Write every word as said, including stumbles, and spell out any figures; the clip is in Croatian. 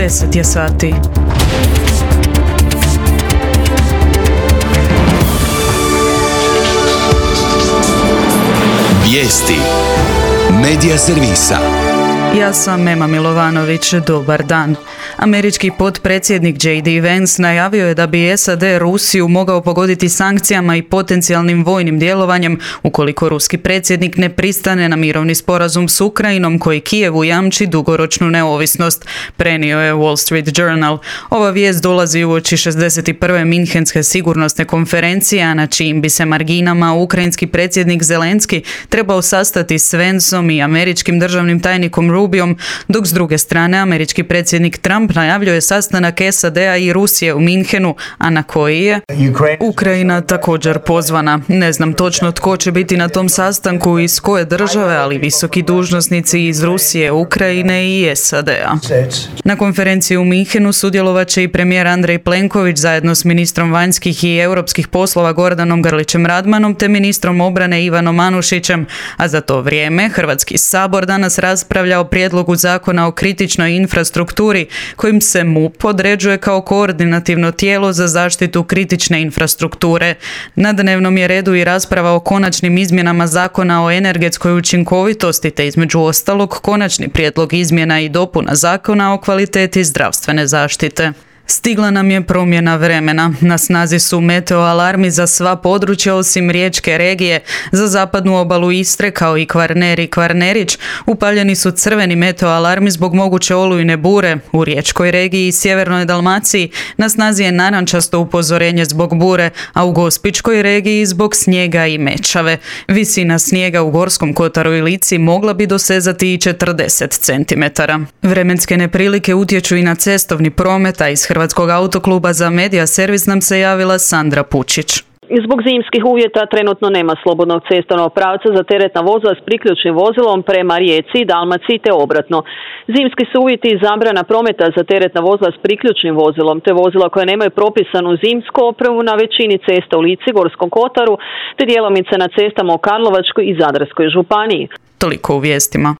deset je sati. Vijesti Medija servisa. Ja sam Ema Milovanović, dobar dan. Američki potpredsjednik J D Vance najavio je da bi S A D Rusiju mogao pogoditi sankcijama i potencijalnim vojnim djelovanjem ukoliko ruski predsjednik ne pristane na mirovni sporazum s Ukrajinom koji Kijevu jamči dugoročnu neovisnost, prenio je Wall Street Journal. Ova vijest dolazi uoči šezdeset prve Minhenske sigurnosne konferencije, a na čijim bi se marginama ukrajinski predsjednik Zelenski trebao sastati s Vanceom i američkim državnim tajnikom Rubijom, dok s druge strane američki predsjednik Trump najavljuje sastanak S A D-a i Rusije u Minhenu, a na koji je Ukrajina također pozvana. Ne znam točno tko će biti na tom sastanku i iz koje države, ali visoki dužnosnici iz Rusije, Ukrajine i S A D-a. Na konferenciji u Minhenu sudjelovat će i premijer Andrej Plenković zajedno s ministrom vanjskih i europskih poslova Gordanom Grlićem Radmanom te ministrom obrane Ivanom Anušićem, a za to vrijeme Hrvatski sabor danas raspravlja o prijedlogu zakona o kritičnoj infrastrukturi kojim se M U P određuje kao koordinativno tijelo za zaštitu kritične infrastrukture. Na dnevnom je redu i rasprava o konačnim izmjenama zakona o energetskoj učinkovitosti te između ostalog konačni prijedlog izmjena i dopuna zakona o kvaliteti zdravstvene zaštite. Stigla nam je promjena vremena. Na snazi su meteo alarmi za sva područja osim riječke regije. Za zapadnu obalu Istre kao i Kvarner i Kvarnerić upaljeni su crveni meteo alarmi zbog moguće olujne bure. U riječkoj regiji i sjevernoj Dalmaciji na snazi je narančasto upozorenje zbog bure, a u Gospićkoj regiji zbog snijega i mečave. Visina snijega u Gorskom kotaru i Lici mogla bi dosezati i četrdeset centimetara. Vremenske neprilike utječu i na cestovni promet, a iz Hrvatskog autokluba za Medija servis nam se javila Sandra Pučić. Zbog zimskih uvjeta trenutno nema slobodnog cestovnog pravca za teretna vozila s priključnim vozilom prema Rijeci, Dalmaciji te obratno. Zimski su uvjeti i zabrana prometa za teretna vozila s priključnim vozilom te vozila koje nemaju propisanu zimsku opremu na većini cesta u Lici, Gorskom kotaru te djelomice na cestama u Karlovačkoj i Zadarskoj županiji. Toliko u vijestima.